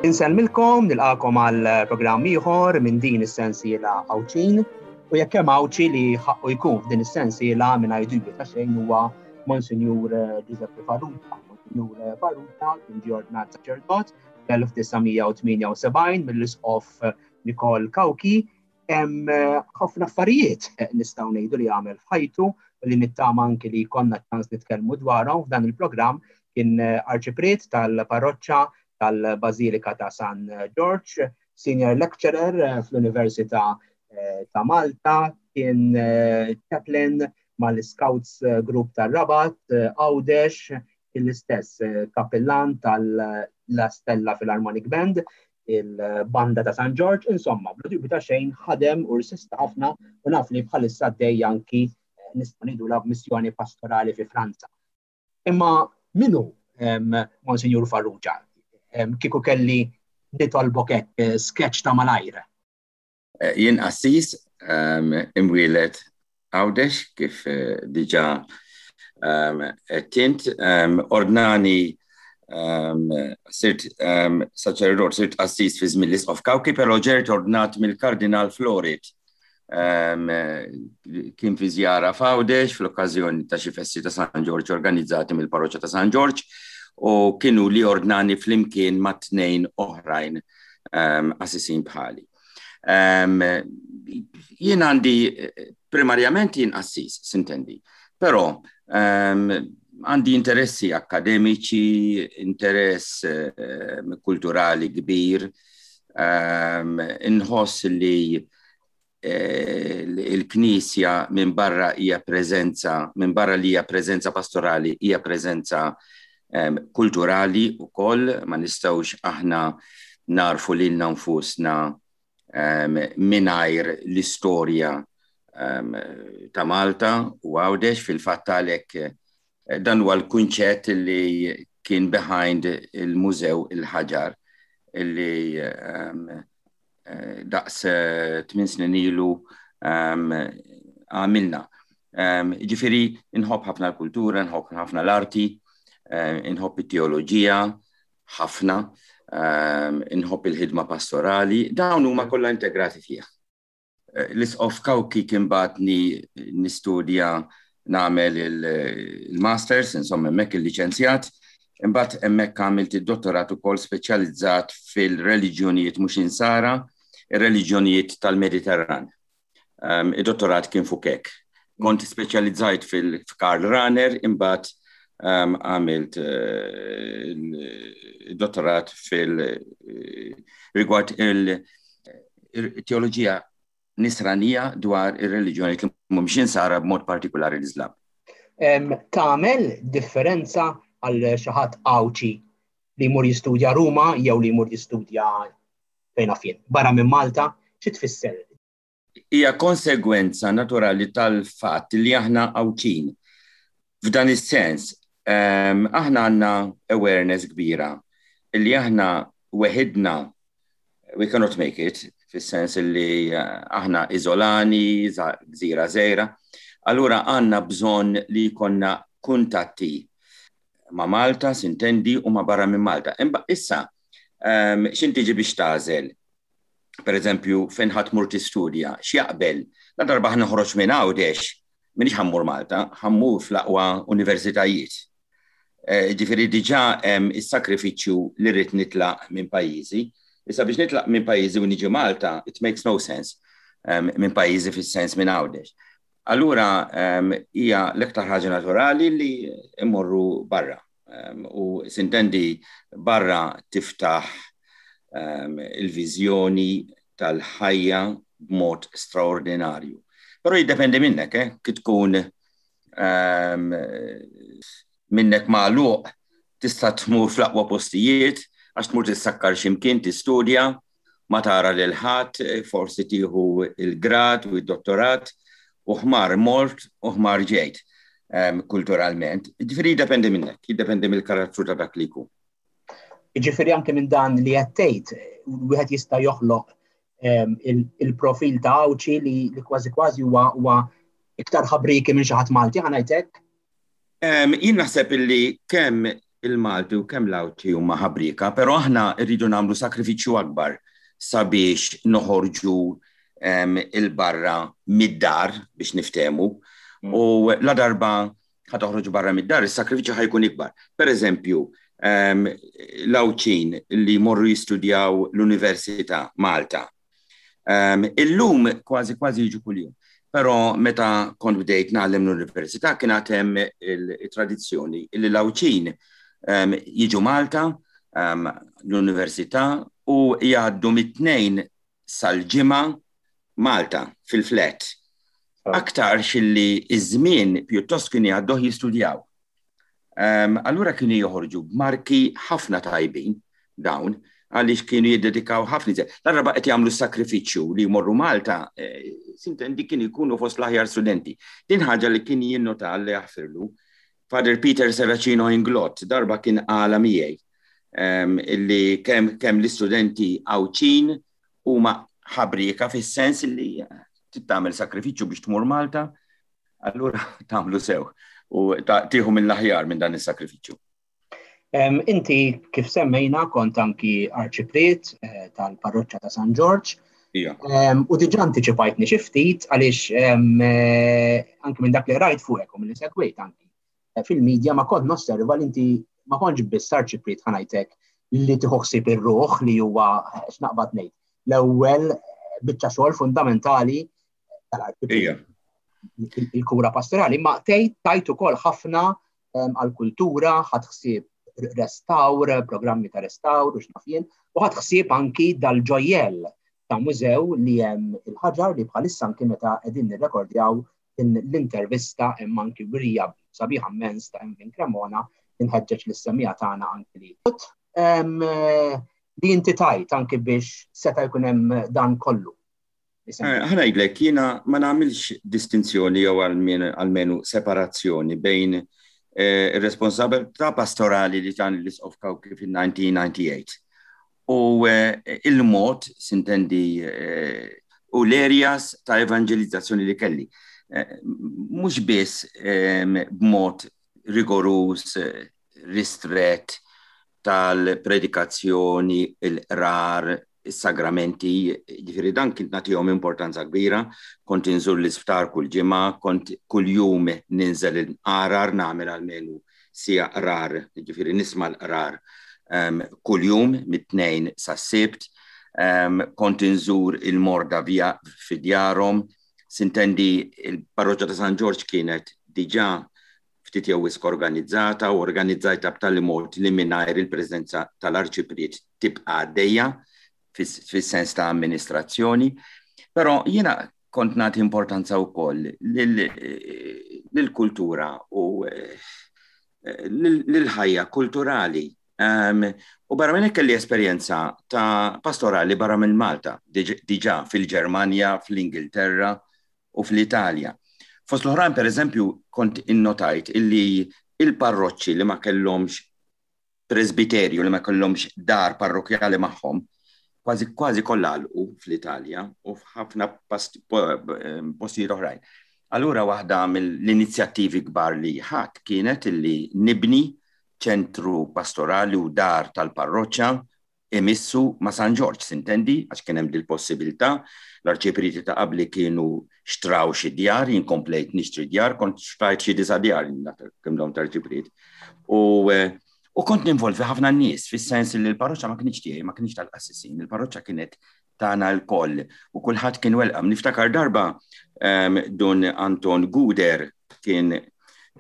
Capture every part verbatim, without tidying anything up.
Insellmilkom, nilqagħkom għal programm ieħor minn din is-sensiela Għawdxin, u jekk hemm Għawdxi li ħaqqu jkun f'din is-sensiela mingħajr dubju ta' xejn huwa Monsinjur Giuseppe Farrugia. Monsinjur Farrugia kien ġie ordnat saċerdot fl-elf disa' mija u tmienja u sebgħin mill-Isqof Nikol Cauchi. Hemm ħafna affarijiet nistgħu ngħidu li għamel f'ħajtu u li nittama anki li konna ċans nitkellmu dwarhom f'dan il-programm. Kien arċipriet tal-parroċċa tal-Bażilika ta' San George, senior lecturer eh, fl-Università eh, ta' Malta, kien eh, chaplain mal-Scouts Group tar-Rabat, Għawdex, l-istess kapellan tal-La Stella Philharmonic Band, il-banda ta' San George, insomma, bla dubju ta' xejn ħadem u rsista ħafna u naf li bħalissa għaddej anki nistgħu ngħidu la missjoni pastorali fi Franza. Imma min hu Monsinjur Farrugia? Kieku kelli nitolbok hekk eh, sketch ta' malajr. Eh, jien qassis imwieled Għawdex, kif eh, diġà tint, ordnani sirt saċerdot, sirt qassis fi żmien l-Isqof Cauchi, però ġejt ordnat mill-Kardinal Florit. Kien fi żjara f'Għawdex fl-okkażjoni ta' xi festi ta' San Ġorġ organizzati mill-Parroċċa ta' San Ġorġ u kienu li ordnani flimkien ma' tnejn oħrajn qassisin bħali. Jien għandi, primarjament jien qassis, sintendi, però għandi interessi akademiċi, interess kulturali kbir, inħoss li eh, il-Knisja minn barra hija preżenza, minn barra li hija preżenza pastorali, hija preżenza kulturali ukoll. Ma nistgħux aħna narfu lilna nfusna mingħajr l-istorja ta' Malta u Għawdex. Fil-fatt għalhekk eh, dan huwa l-kunċett li kien behind il-Mużew il-Ħaġar illi eh, daqs eh, tmien snin ilu għamilna. Ġifieri, nħobb ħafna l-kultura, nħobb ħafna l-arti, Eh, inħobb it-teoloġija ħafna, ehm, inħobb il-ħidma pastorali, dawn huma kollha integrati fiha. Eh, L-Isqof Cauchi kien bagħatni nistudja, nagħmel il-masters, insomma hemmhekk il-liċenzjat, imbagħad hemmhekk għamilt id-dottorat ukoll, speċjalizzat fil-reliġjonijiet mhux insara, ir-reliġjonijiet tal-Mediterran. Um, id-dottorat kien fuq hekk. Kont speċjalizzajt fil-Karl Rahner, imbagħad għamilt eh, il-dottorat fil-rigward il-teoloġija nisranija dwar ir-reliġjoni li mhumiex insara, b'mod partikolari l-Islam. Tagħmel differenza għal xi ħadd Għawdxi li jmur jistudja Ruma jew li jmur jistudja fejn jien, barra minn Malta, xi tfisser? Hija konsegwenza naturali tal-fatt li aħna Għawdxin. F'dan is-sens, aħna għandna awareness kbira illi aħna weħidna we cannot make it, fis-sens illi eh, aħna iżolani, gżira żgħira. Allura għandna bżonn li jkollna kuntatti ma' Malta, sintendi, u ma' barra minn Malta. Imma issa, x'ħin tiġi biex tagħżel? Per eżempju, fejn ħa tmur tistudja, x'jaqbel? La darba ħa noħroġ minn Għawdex, m'iniex ħa mmur Malta, ħa mmur fl-aqwa universitajiet. Eh, ġifieri diġà hemm is-sakrifiċċju li rrid nitlaq minn pajjiżi. Issa biex nitlaq minn pajjiżi u niġi Malta, it makes no sense, minn pajjiżi fis-sens minn Għawdex. Allura hija l-iktar ħaġa naturali li immorru barra. U sintendi barra tiftaħ il-viżjoni tal-ħajja b'mod straordinarju. Però jiddependi minnek, eh? Kif tkun minnek magħluq, tista' tmur fl-aqwa postijiet, għax tmur tissakkar x'imkien tistudja, ma tara lil ħadd, forsi tieħu il-grad u id-dottorat u ħmar mort u ħmar ġejt kulturalment. Ġifieri jiddependi minnek, jiddependi mill-karattru ta' dak li jkun. Ġifieri anke minn dan li qed tgħid, wieħed jista' joħloq il-profil ta' Għawdxi li kważi kważi huwa iktar ħabriki minn xi ħadd Malti, ħa ngħidlek? Jien naħseb illi kemm il-Malti u kemm l-Għawdxi huma ħabrieka, però aħna rridu nagħmlu sakrifiċċju akbar sabiex noħorġu il-barra mid-dar biex niftehmu. Mm. U la darba ħa toħroġ barra mid-dar, is-sakrifiċċju ħa jkun ikbar. Per eżempju, l-Għawdxin li morru jistudjaw l-Università Malta. Illum kważi kważi jiġu kuljum. Però meta kont bdejt ngħallem l-università kien hemm il-tradizzjoni li l-Għawdxin jiġu Malta l-università u jgħaddu mit-Tnejn sal-Ġimgħa Malta fil-flat. Aktarx illi iż-żmien pjuttost kien jgħadduh jistudjaw. Allura kienu joħorġu b'marki ħafna tajbin dawn, għaliex kienu jiddedikaw ħafna iżjed. Darba qed jagħmlu sakrifiċċju li jmorru Malta, eh, sintendi kienu jkunu fost l-aħjar studenti. Din ħaġa li kien jinnota li jaħfirlu. Father Peter Serracino Inglott darba kien qala miegħi illi kemm kemm l-istudenti Għawdxin huma ħabrieka fis-sens li tagħmel sakrifiċċju biex tmur Malta, allura tagħmlu sew u tieħu mill-aħjar minn dan is-sakrifiċċju. Inti kif semmejna kont anki arċipriet eh, tal-parroċċa ta' San Ġorġ. U diġà antiċipajtni xi ftit għaliex eh, anki minn dak li rajt fuqek u milli segwejt anki eh, fil-medja ma kont nosserva li inti ma kontx biss arċipriet ħa ngħidlek li tieħu ħsieb ir-ruħ li huwa x'naqbad ngħid. L-ewwel biċċa xogħol fundamentali tal-arċipriet. Il-kura pastorali, ma tgħid tajt ukoll ħafna għall-kultura, ħadt ħsieb restawr, programmi ta' restawr u x'naf jien, u ħadt ħsieb anki dal-ġojjell ta' mużew li hemm il-ħaġar li bħalissa anki meta qegħdin nirrekordjaw l-intervista hemm anki wirja sabiħa immens ta' Emvin Cremona inħeġġeġ lis-semmiegħa tagħna anki li. Li inti tajt anki biex seta' jkun hemm dan kollu. Ħa ngħidlek, jiena ma nagħmilx distinzjoni jew almenu separazzjoni bejn ir-responsabilità pastorali li tani l-Isqof Cauchi fil-elf disa' mija u disgħa u disgħin u il-mod, sintendi, u l-areas ta' evangelizzazzjoni li kelli. Mhux biss b'mod rigorus, ristret tal-predikazzjoni, il-qrar, is-sagramenti, ġifieri dan kint nagħtihom importanza kbira, kont inżur l-isptar kull ġimgħa, kont kull jum ninżel il-qarar, nagħmel almenu siegħa qrar, ġifieri nisma' l-qrar um, kull jum mit-Tnejn sas-Sibt, um, kont inżur il-morda via fi djarhom, sintendi il-parroċċa ta' San Ġorġ kienet diġà ftit jew wisq organizzata u organizzajta b'tali mod li mingħajr il-preżenza tal-arċipriet tibqa' għaddejja fis-sens ta' amministrazzjoni, però jiena kont nagħti importanza wkoll lill-kultura u lill-ħajja kulturali. U barra minn hekk kelli esperjenza ta' pastorali barra minn Malta, diġà fil-Ġermanja, fl-Ingilterra u fl-Italja. Fost l-oħrajn, per eżempju, kont innotajt illi il-parroċċi li ma kellhomx presbiterju, li ma kellhomx dar parrokjali magħhom, kważi kważi kollha għalqu fl-Italja u f'ħafna postijiet oħrajn. Allura waħda mill-inizjattivi kbar li ħadt kienet illi nibni ċentru pastorali u dar tal-parroċċa imissu ma' San Ġorġ, sintendi, għax kien hemm dil-possibilità. L-arċipriti ta' qabli kienu xtraw xi djar, jien komplejt nixtri djar, kont xtrajt xi disa' djar kemm dawn tarċipriet. U U kont ninvolvi ħafna nies, fis-sens li l-parroċċa ma kienx tiegħi, ma kienx tal-qassisin, il-parroċċa kienet tagħna lkoll u kulħadd kien welcome. Niftakar darba Dun Anton Guder kien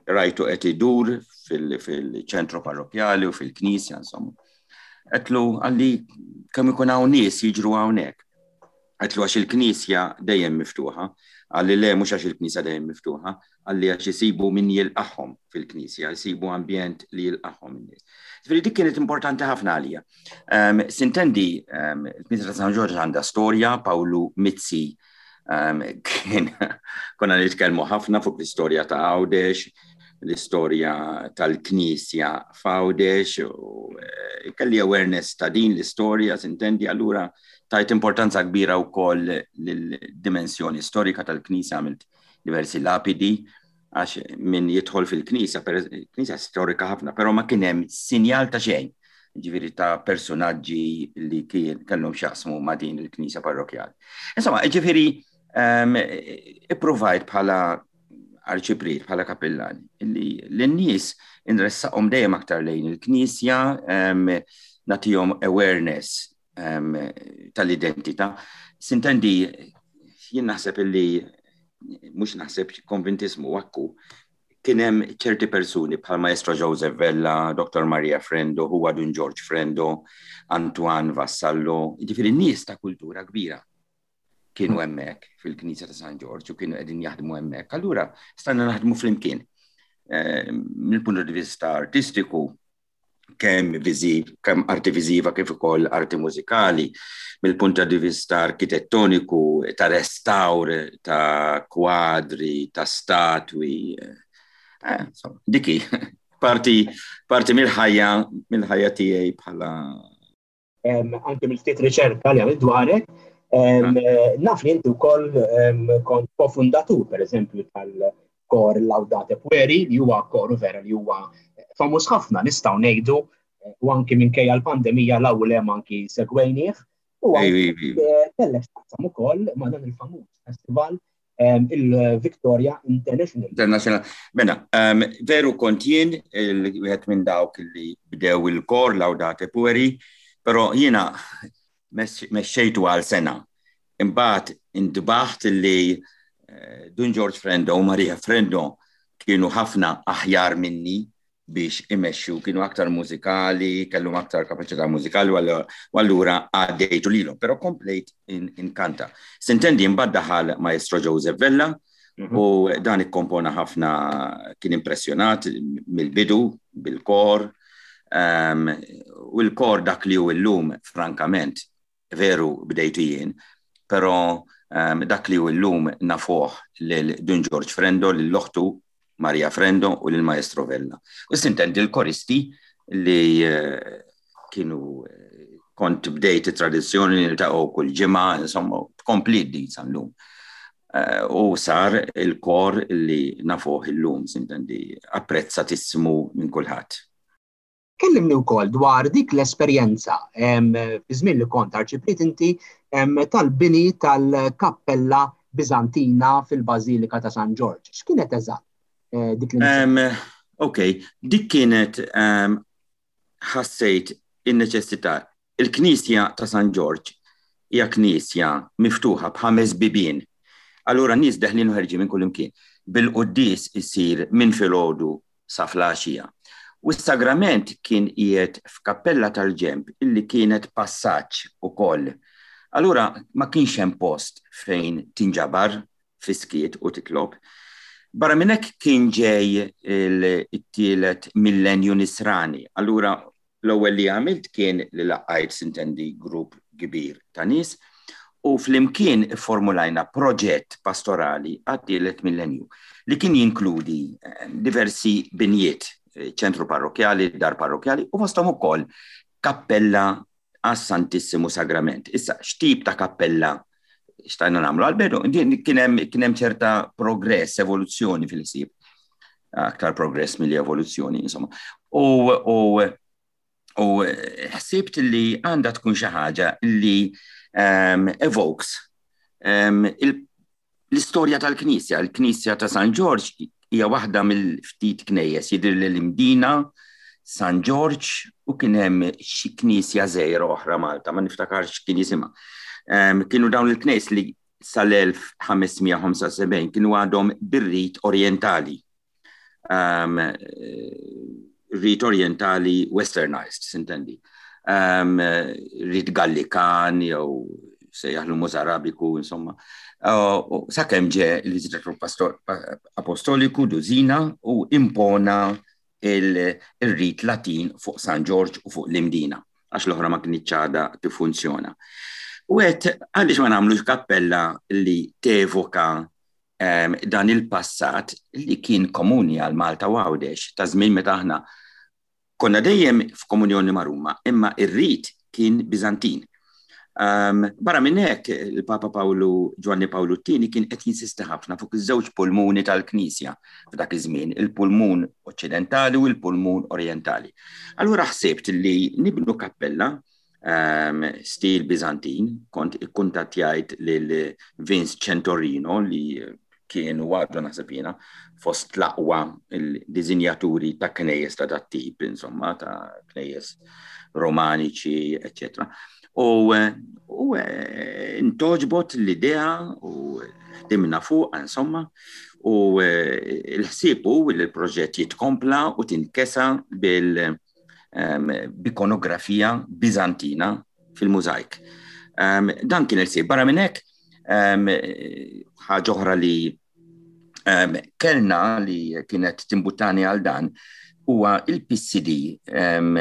rajtu qed idur fil-ċentru parrokjali u fil-knisja, insomma. Għedtlu għalli kemm ikun hawn nies jiġru hawnhekk. Għedtlu għax il-knisja dejjem miftuħa, għalli le mhux għax il-knisja dejjem miftuħa, għalli għax isibu min jilqagħhom fil-knisja, jisibu ambjent li jilqagħhom in-nies. Ġifieri dik kienet importanti ħafna għalija. Um, sintendi, um, il-Knisja ta' San Ġorġ għandha storja, Pawlu Mizzi um, kien konna nitkellmu ħafna fuq l-istorja ta' Għawdex, l-istorja tal-Knisja f'Għawdex, u eh, kelli awareness ta' din l-istorja, sintendi, allura tajt importanza kbira wkoll lill-dimensjoni storika tal-Knisja, għamilt diversi lapidi Għax min jidħol fil-knisja, knisja storika ħafna, però ma kien hemm sinjal ta' xejn, ġifieri ta' personaġġi li kien kellhom x'jaqsmu ma' din il-knisja parrokjali. Insomma, ġifieri um, ipprovajt bħala arċipriet, bħala kapillan, li l-nies inressaqhom dejjem aktar lejn il-knisja, um, nagħtihom awareness um, tal-identità. Sintendi, jien naħseb illi, mhux naħseb, konvintismu wakku, kien hemm ċerti persuni bħal Maestro Joseph Vella, Doctor Maria Frendo, huwa Dun George Frendo, Antoine Vassallo, ġifieri nies ta' kultura kbira kienu hemmhekk fil-Knisja ta' San Ġorġ u kienu qegħdin jaħdmu hemmhekk. Allura stajna naħdmu flimkien. Eh, mill-punt di vista artistiku, kemm viżiv, kemm arti viżiva kif ukoll arti mużikali, mill-punt di vista arkitettoniku, ta' restawr, ta' kwadri, ta' statwi. Eh, insomma, diki, parti, parti mill-ħajja, mill-ħajja tiegħi bħala Anke mill-ftit riċerka li għamilt dwarek, naf li inti wkoll kont kofundatur, per eżempju, tal-kor Laudate Pueri, li huwa koru vera li huwa famuż ħafna, nistgħu ngħidu, u anki minkejja l-pandemija l-ewwel hemm anki segwejnieh, u kellek taqsam ukoll ma' dan il-famuż festival, il-Victoria International. International. Mela, veru kont jien wieħed minn dawk li bdew il-kor Laudate Pueri, però jiena mexxejtu għal sena. Imbagħad intbaħt li Dun George Frendo u Maria Frendo kienu ħafna aħjar minni biex imexxu, kienu aktar mużikali, kellhom aktar kapaċità mużikali, u allura għaddejtu lilhom, però komplejt inkanta. Sintendi, imbagħad daħal Maestro Joseph Vella u dan ikkompona ħafna, kien impressjonat mill-bidu bil-kor, u l-kor dak li hu llum, frankament, veru bdejtu jien, però dak li hu llum nafuh lil Dun George Frendo, lil oħtu Maria Frendo u lil Maestro Vella. U sintendi l-koristi li kienu, kont bdejt it-tradizzjoni li niltaqgħu kull ġimgħa, insomma, tkompli din sal-lum. U sar il-kor li nafuh illum, sintendi, apprezzatissmu minn kulħadd. Kellimni wkoll dwar dik l-esperjenza fi żmien li kont arċipriet inti tal-bini tal-Kappella Bizantina fil-Bażilika ta' San Ġorġ. X'kienet eżatt dik li? Ok, dik kienet, ħassejt in-neċessità. Il-Knisja ta' San Ġorġ hija knisja miftuħa b'ħames bibien. Allura nies deħlin u ħerġin minn kull imkien. Bil-quddies isir minn filgħodu sa flaxija. U s-sagrament kien qiegħed f'kappella tal-ġemp illi kienet passaġġ ukoll. Allura ma kienx hemm post fejn tinġabar fiskiet u titlob. Barra minn hekk kien ġej it-tielet millenju nisrani. Allura l-ewwel li għamilt kien li laqajt, sintendi, grupp kbir ta' nies u flimkien formulajna proġett pastorali għat-tielet millenju li kien jinkludi diversi binjiet, ċentru parrokjali, dar parrokjali u fosthom ukoll kappella għas-Santissimu Sagrament. Issa, x'tip ta' kappella xtajna nagħmlu? Għal-bidu, kien hemm ċerta progress, evoluzzjoni fil-ħsieb. Aktar progress milli evoluzzjoni, insomma. U, u, u ħsibt li għandha tkun xi ħaġa li um, evokes um, l-istorja tal-Knisja. Il-Knisja ta' San Ġorġ hija waħda mill-ftit knejjes, jidher li l-Imdina, San Ġorġ, u kien hemm xi knisja żgħira oħra Malta, ma niftakarx kien jisimha. Um, kienu dawn il-knejs li sal-elf ħames mija ħamsa u sebgħin kienu għadhom bir-rit orientali. Um, rit orientali westernized, sintendi. Um, rit Gallikan jew sejjaħlu Mozarabiku, insomma. Uh, sakemm ġie il-Viżitatur Apostoliku Dusina u impona il-rit Latin fuq San Ġorġ u fuq l-Imdina, għax l-oħra ma kinitx għadha tiffunzjona. U għedt, għaliex ma nagħmlux kappella li tevoka, ehm, dan il-passat li kien komuni għal Malta u Għawdex, ta' żmien meta aħna konna dejjem f'komunjoni ma' Ruma, imma ir-rit kien Bizantin. Um, barra minn hekk, il-Papa Pawlu Ġwanni Pawlu t-tieni kien qed jinsisti ħafna fuq iż-żewġ pulmuni tal-Knisja f'dak iż-żmien, il-pulmun oċċidentali u l-pulmun orjentali. Allura ħsibt li nibnu kappella um, stil Bizantin, kont ikkuntattjajt lil Vince Centorino li kien u għadu naħseb jiena fost l-aqwa il-dizinjaturi ta' knejjes ta' dat-tip, insomma, ta' knejjes romaniċi, eccetera. U, u intgħoġbot l-idea u ħdimna fuq, insomma, u l-ħsieb hu li l-proġett jitkompla u tinkesa bil b'ikonografija Bizantina fil-mużajk. Um, dan kien il-ħsieb. Barra minn hekk, um, ħaġa oħra li um, kellna li kienet timbuttani għal dan huwa il-P C D um,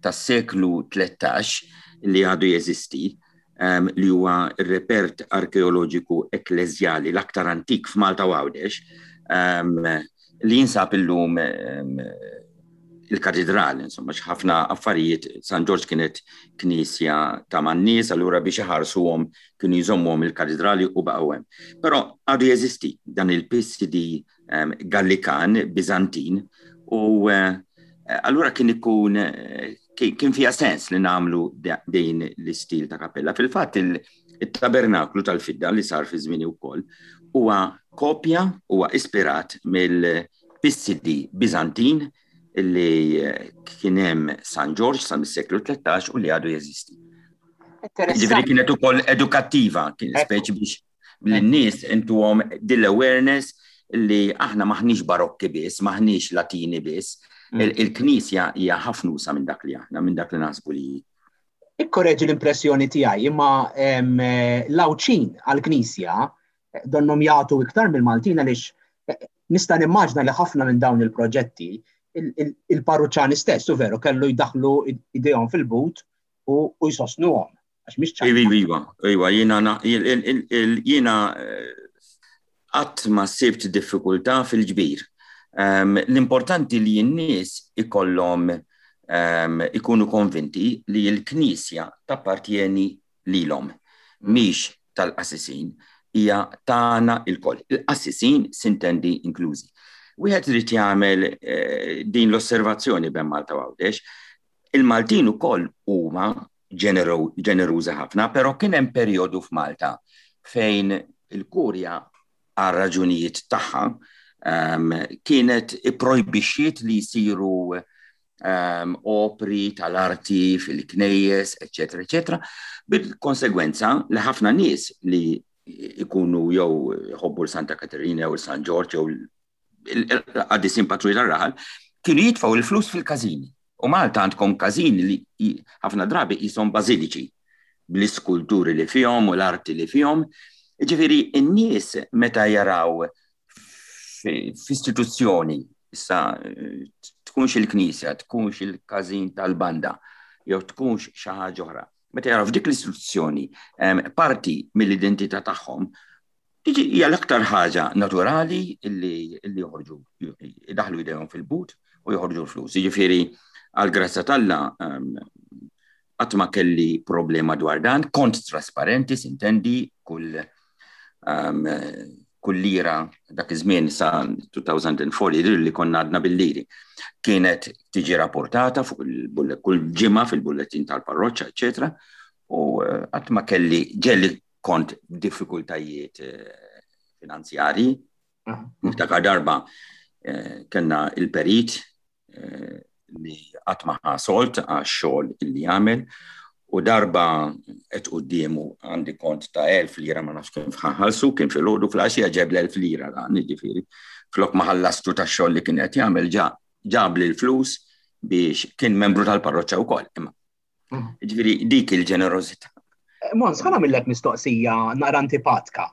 tas-seklu tlettax li għadu jeżisti, um, li huwa r-repert arkeoloġiku ekkleżjali l-aktar antik f'Malta u Għawdex, um, li jinsab illum um, il-katedral, insomma, ħafna affarijiet. San Ġorġ kienet knisja ta' man-nies, allura biex iħarsuhom kienu jżommuhom il-katedrali u baqgħu hemm. Però għadu jeżisti dan il-P C D um, Gallikan Bizantin u uh, allura kien ikun kien fija sens li nagħmlu din l-istil ta' kappella. Fil-fatt il-tabernaklu tal-fidda li sar fi żmieni wkoll huwa kopja, huwa ispirat mill-P C D Bizantin li kien hemm San Ġorġ sa mis-seklu tlettax u li għadu jeżisti. Ġifieri kienet ukoll edukattiva, kien speċi biex lin-nies intuhom dil-awareness li aħna maħniex barokki biss, maħniex Latini biss. Il-Knisja hija ħafna usa' minn dak li aħna, minn dak li naħsbu li. Ikkoreġi l-impressjoni tiegħi, imma l-Għawdxin għall-Knisja donnom jagħtu iktar mill-Maltin, għaliex nista' nimmaġna li ħafna minn dawn il-proġetti il-parruċċani stess u veru kellu jdaħlu idejhom fil-but u jsostnuhom. Għax mhix ċajta. Iva, iva, iva, jiena jiena qatt ma sibt diffikultà fil-ġbir. L-importanti li n-nies ikollhom ikunu konvinti li l-Knisja tappartjeni lilhom, mhix tal-qassisin, hija tagħna lkoll. Il-qassisin sintendi inklużi. Wieħed irid jagħmel din l-osservazzjoni bejn Malta u Għawdex. Il-Maltin ukoll huma ġenerużi ħafna, però kien hemm perjodu f'Malta fejn il-kurja għal raġunijiet tagħha kienet ipprojbixxiet li jsiru opri tal-arti fil-knejjes, eċetera, eċetera, bil-konsegwenza li ħafna nies li ikunu jew jħobbu l-Santa Katerina jew San Ġorġ jew il-qaddisin patruni tar-raħal kienu jitfgħu il-flus fil-każini. U Malta għandkom każini li ħafna drabi jisom bażiliċi bl-iskulturi li fihom u l-arti li fihom. Ġifieri n-nies meta jaraw f'istituzzjoni, issa tkunx il-knisja, tkunx il-każin tal-banda, jew tkunx xi ħaġa oħra. Meta jaraw f'dik l-istituzzjoni parti mill-identità tagħhom, tiġi hija l-aktar ħaġa naturali illi joħorġu, idaħlu idejhom fil-but u joħorġu l-flus. Jiġifieri għal grazzja t'Alla qatt ma kelli problema dwar dan, kont trasparenti, sintendi, kull kull lira dak iż-żmien sa elfejn u erbgħa jidhir li konna għadna bil-liri. Kienet tiġi rapportata fuq kull ġimgħa fil-bulletin tal-parroċċa, eċetera. U qatt ma kelli, ġieli kont diffikultajiet finanzjari. Niftakar darba kellna il-perit li qatt ma ħa sold għax-xogħol illi jagħmel u darba qed quddiemu għandi kont ta' elf lira, ma nafx kif ħallsu, kien filgħodu, filgħaxija ġeb l-elf lira dan, jiġifieri. Flok ma ħallastu tax-xogħol li kien qed jagħmel, ġab l-flus biex kien membru tal-parroċċa wkoll. Imma ġifieri dik il-ġenerożità. Mons, ħa nagħmillek mistoqsija naqra antipatka.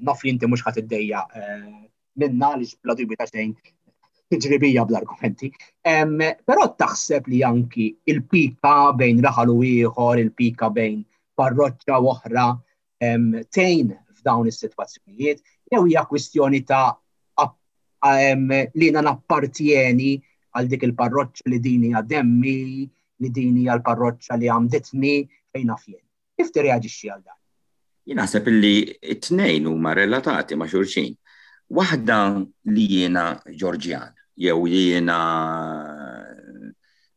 Naf li inti mhux ħadd iddejja minna li bla dubju ta' xejn tiġri bija bl-argumenti. Però taħseb li anki il-pika bejn raħal u ieħor, il-pika bejn parroċċa u oħra tgħin f'dawn is-sitwazzjonijiet, jew hija kwistjoni ta' li jiena nappartjeni għal dik il-parroċċa, li din hija demmi, li din hija l-parroċċa li għamditni, fejn naf jien? Kif tirreaġixxi għal dan? Jien naħseb illi t-tnejn huma relatati ma' xulxin. Waħda li jiena Ġorġjan, jew jiena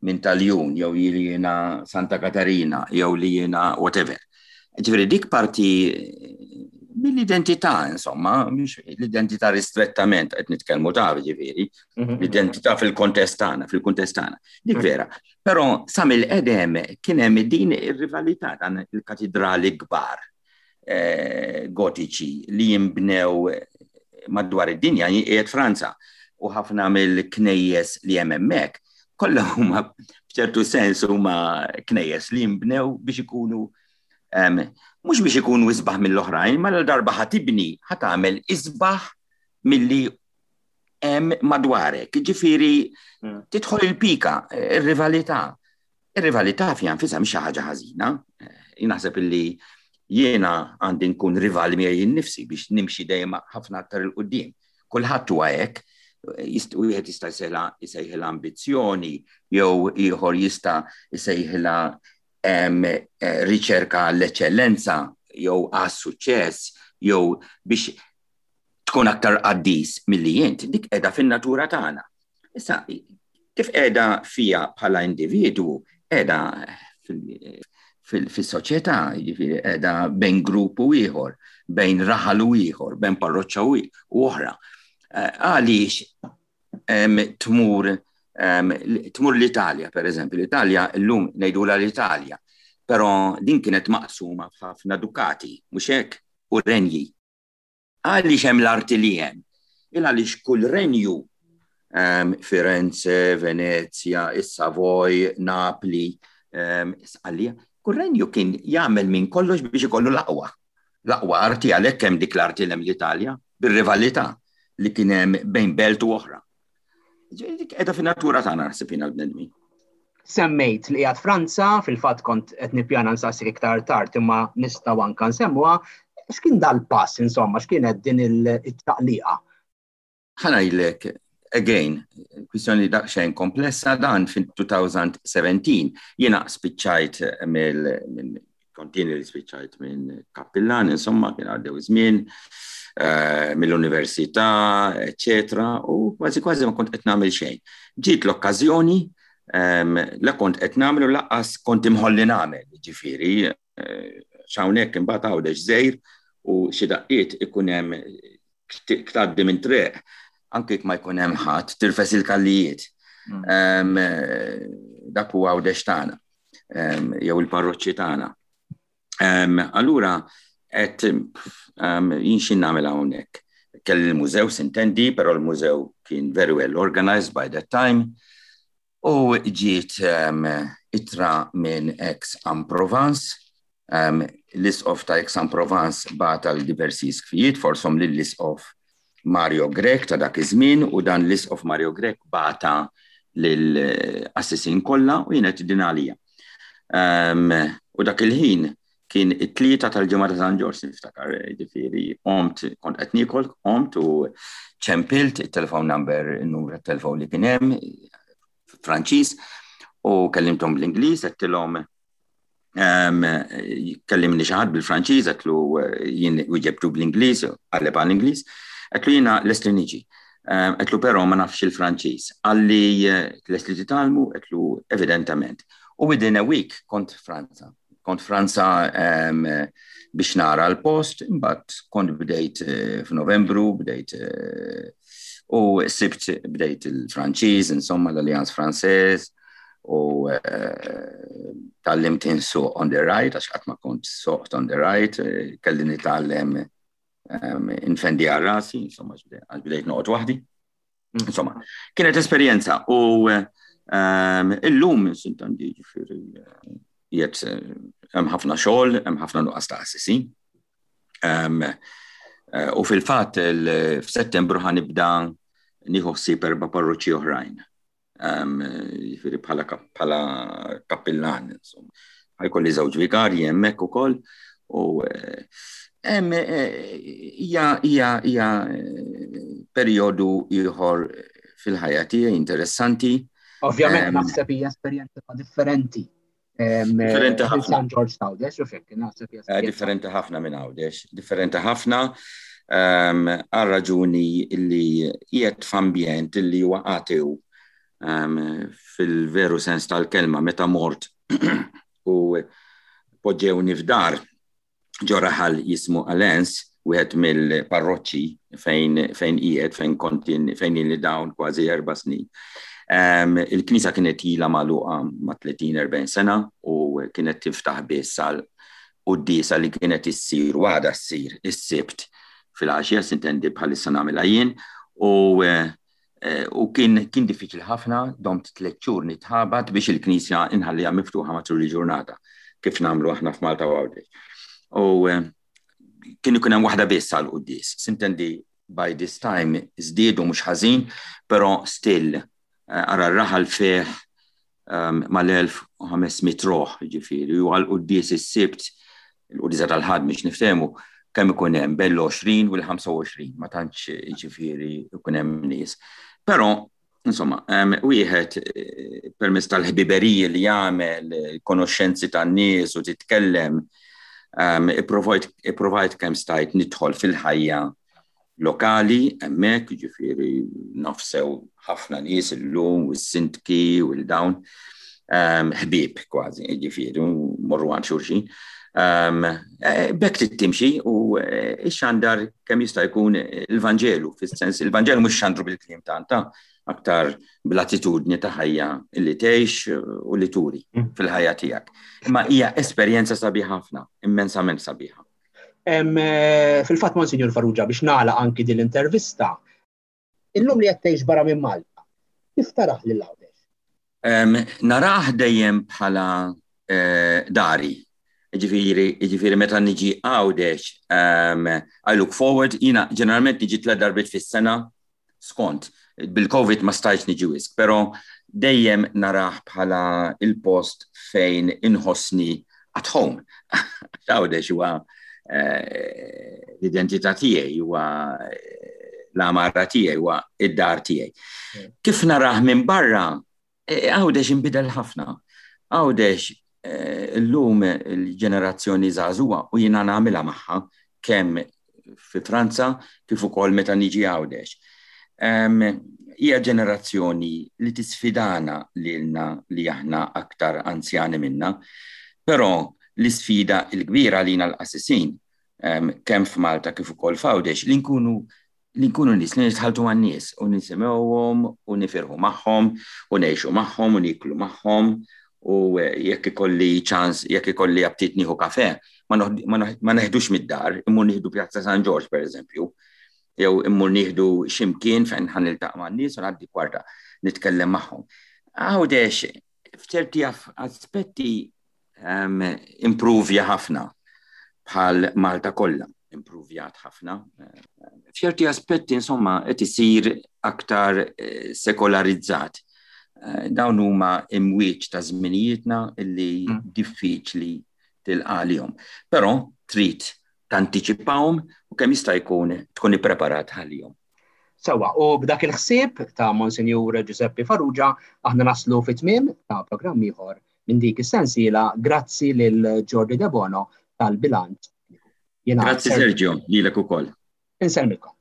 minn Tal-Jun, jew li jiena Santa Katarina, jew li jiena whatever. Ġifieri dik parti mill-identità, insomma, mhix l-identità ristrettament qed nitkellmu ta' ġifieri, mhm. l-identità fil-kontest tagħna, fil-kuntest tagħna. Dik mhm. vera. Però sa mill-qedem kien hemm din ir-rivalità dan il-katidrali kbar eh, gotiċi li jimbnew madwar id-dinja qiegħed Franza u ħafna mill-knejjes li hemm hemmhekk kollha huma f'ċertu sens huma knejjes li jimbnew biex ikunu mhux biex ikunu isbaħ mill-oħrajn, ma l-darba ħa tibni ħa tagħmel isbaħ milli hemm madwarek. Ġifieri hmm. tidħol il-pika, ir-rivalità. Ir-rivalità fiha nfisha mhix xi ħaġa ħażina. Jien naħseb illi jiena għandi nkun rivali miegħi nnifsi biex nimxi dejjem ħafna aktar 'il quddiem. Kulħadd huwa hekk, wieħed jista' jsejħilha ambizzjoni jew ieħor jista' jsejħilha eh, riċerka l-eċċellenza jew għas-suċċess jew biex tkun aktar qaddis milli jint, dik qiegħda fin-natura tagħna. Issa, kif qiegħda fija bħala individwu, qiegħda fil-soċjetà, jiġifieri qiegħda bejn grupp u ieħor, bejn raħal u ieħor, bejn parroċċa u oħra. Eh, għaliex tmur tmur l-Italja, per eżempju, l-Italja llum ngħidula l-Italja, però din kienet maqsuma f'ħafna dukati, mhux hekk, u renji. Għaliex hemm l-arti li hemm? Il għaliex kull renju Firenze, Venezia, is-Savoy, Napli, Sqallija, kull renju kien jagħmel minn kollox biex ikollu l-aqwa. L-aqwa arti għalhekk hemm dik l-arti hemm l-Italja, bir-rivalità li kien hemm bejn belt u oħra. Dik qiegħda fin-natura tagħna naħseb jiena l-bnedmin. Semmejt li qiegħed Franza, fil-fatt kont qed nippjana nsaqsik iktar tard imma nistgħu anke nsemmuha, x'kien dal-pass insomma, x'kienet din il-taqliqa? Ħa ngħidlek, again, kwistjoni daqsxejn komplessa dan fil-elfejn u sbatax jiena spiċċajt mill kontini li spiċċajt minn kappillan, insomma, kien għaddew żmien, eh, mill-università, eccetera, u kważi kważi ma kont qed nagħmel xejn. Ġiet l-okkażjoni, la kont qed nagħmel u lanqas kont imħolli nagħmel, ġifieri, eh, x'hawnhekk imbagħad Għawdex żgħir u xi daqqiet ikun hemm tgħaddi minn triq anke ma jkun hemm ħadd tirfes il-kallijiet. Mm. Dak huwa Għawdex tagħna jew il-parroċċi tagħna. Allura qed jien x'in nagħmel hawnhekk. Kelli l-mużew sintendi, però l-mużew kien very well organized by that time. U ġiet ittra minn Aix-en-Provence, l-isqof ta' Aix-en-Provence bagħat għal diversi isqfijiet, fosthom lill-isqof Mario Grech ta' dak iż-żmien u dan l-isqof Mario Grech bagħatha lill-qassisin kollha u jien din għalija. U dak il-ħin kien it-tlieta tal-ġimgħa ta' San Ġorġ niftakar, ġifieri, qomt kont qed niekol, qomt u ċempilt it-telephone number, il-numru tat-telefon li kien hemm Franċiż u kellimthom bl-Ingliż, għedtilhom kellimni xi ħadd bil-Franċiż, għedtlu jien wieġebtu bl-Ingliż, qalli bħal-Ingliż, għedtlu jiena lest li niġi. Għedtlu però ma nafx il-Franċiż. Qalli lest li titgħallmu, għedtlu evidentament. U within a week kont Franza. Kont Franza biex nara l-post, imbagħad kont bdejt eh, f'Novembru, bdejt eh, u sibt bdejt il-Franċiż, insomma l-Alliance Française, u eh, tgħallimt insuq on the right, għax qatt ma kont soqt on the right, kelli nitgħallem infendi għal rasi, insomma, għax bdejt noqgħod waħdi. Mm. Insomma, kienet esperjenza u illum sintendi ġifieri jiet hemm ħafna xogħol, hemm ħafna nuqqas ta' qassisin. Eh, u fil-fatt f'Settembru ħa nibda nieħu ħsieb erba' parroċċi oħrajn. Jiġifieri bħala kappillan, insomma. Ħa jkolli żewġ vigarji hemmhekk ukoll u eh, hemm eh, hija hija hija perjodu ieħor fil-ħajja tiegħi interessanti. Ovvjament naħseb hija esperjenza differenti Differenti ħafna. San Ġorġ t'Għawdex, u fekk, naħseb eh, Differenti ħafna minn Għawdex, differenti ħafna ehm, għal raġuni li qiegħed f'ambjent li huwa ateu ehm, fil-veru sens tal-kelma. Meta mort u poġġewni f'dar ġo raħal jismu Alens, wieħed mill-parroċċi fejn fejn qiegħed, fejn kont fejn ili dawn kważi erba' snin. Um, il-knisja kienet ilha magħluqa ma' tletin erbgħin sena u kienet tiftaħ biss għal quddiesa li kienet issir u għadha ssir is-Sibt fil-għaxija, s'intendi bħalissa nagħmilha jien, u eh, u kien kien diffiċli ħafna, domt tliet xhur nitħabat biex il-knisja inħalliha miftuħa matul il-ġurnata, kif nagħmlu aħna f'Malta u Għawdex. U eh, kien ikun hemm waħda biss għal quddies. S'intendi by this time żdiedu mhux ħażin, però still eh, ara r-raħal fih um, mal-elf u ħames mitt ruħ, ġifieri, u għal quddies is-Sibt, il-quddiesa tal-Ħadd biex niftehmu, kemm ikun hemm bejn l-għoxrin u l-ħamsa u għoxrin, ma tantx ġifieri ikun hemm nies. Però insomma, um, wieħed eh, permezz tal-ħbiberiji li jagħmel, konoxxenzi tan-nies u titkellem, um, ipprovajt kemm stajt nidħol fil-ħajja lokali hemmhekk, ġifieri naf sew ħafna nies illum, u s-sindki u l-dawn, um, ħbieb kważi, ġifieri, morru għand xulxin. Um, B'hekk timxi u eh, ixxandar kemm jista' jkun il-Vanġelu, fis-sens il-Vanġelu mhux xandru bil-kliem tanta, aktar bl-attitudni ta' ħajja li tgħix u li turi mm. fil-ħajja tiegħek. Imma hija esperjenza sabiħa ħafna, immensament sabiħa. Eh, fil-fatt, Monsinjur Farrugia, biex nagħlaq anki din l-intervista, illum li qed tgħix barra minn Malta, kif tarah lil Għawdex? Narah dejjem bħala eh, dari. Ġifieri, ġifieri meta niġi Għawdex, I look forward, jiena ġeneralment niġi tliet darbiet fis-sena skont. Bil-Covid ma stajtx niġi wisq, però dejjem narah bħala il-post fejn inħossni at home. Għawdex huwa eh, l-identità tiegħi, huwa eh, l-għamara tiegħi, huwa id-dar tiegħi. Kif narah minn barra, eh, Għawdex inbidel ħafna. Għawdex illum il-ġenerazzjoni żagħżugħa, u jiena nagħmilha magħha kemm fi Franza kif ukoll meta niġi Għawdex. Hija ġenerazzjoni li tisfidana lilna li aħna aktar anzjani minna, però l-isfida l-kbira lina l-qassisin kemm f'Malta kif ukoll f'Għawdex li nkunu li nkunu nies li nitħalltu man-nies u nisimgħuhom u nifirħu magħhom u ngħixu magħhom u niklu magħhom u jekk ikolli ċans, jekk ikolli aptit nieħu kafe, ma neħdux mid-dar, immur nieħdu Pjazza San Ġorġ, per eżempju, jew immur nieħdu ximkien fejn ħa niltaqa' man-nies u ngħaddi kwarta nitkellem magħhom. Għawdex f'ċerti aspetti um, improvja ħafna bħal Malta kollha, improvjat ħafna. F'ċerti aspetti, insomma, qed isir aktar eh, sekolarizzat. Eh, dawn huma imwieġ ta' żminijietna illi mm. diffiċli tilqa'. Però trid tantiċipawhom u kemm jista' jkun tkun ippreparat għalihom. Sewwa, u b'dak il-ħsieb ta' Monsinjur Giuseppe Farrugia aħna naslu fit-tmiem ta' programm ieħor minn dik is-sensiela. Grazzi lil Jordi Debono tal-bilanċ. Grazzi, Sergio, lilek ukoll. Insellmilkom.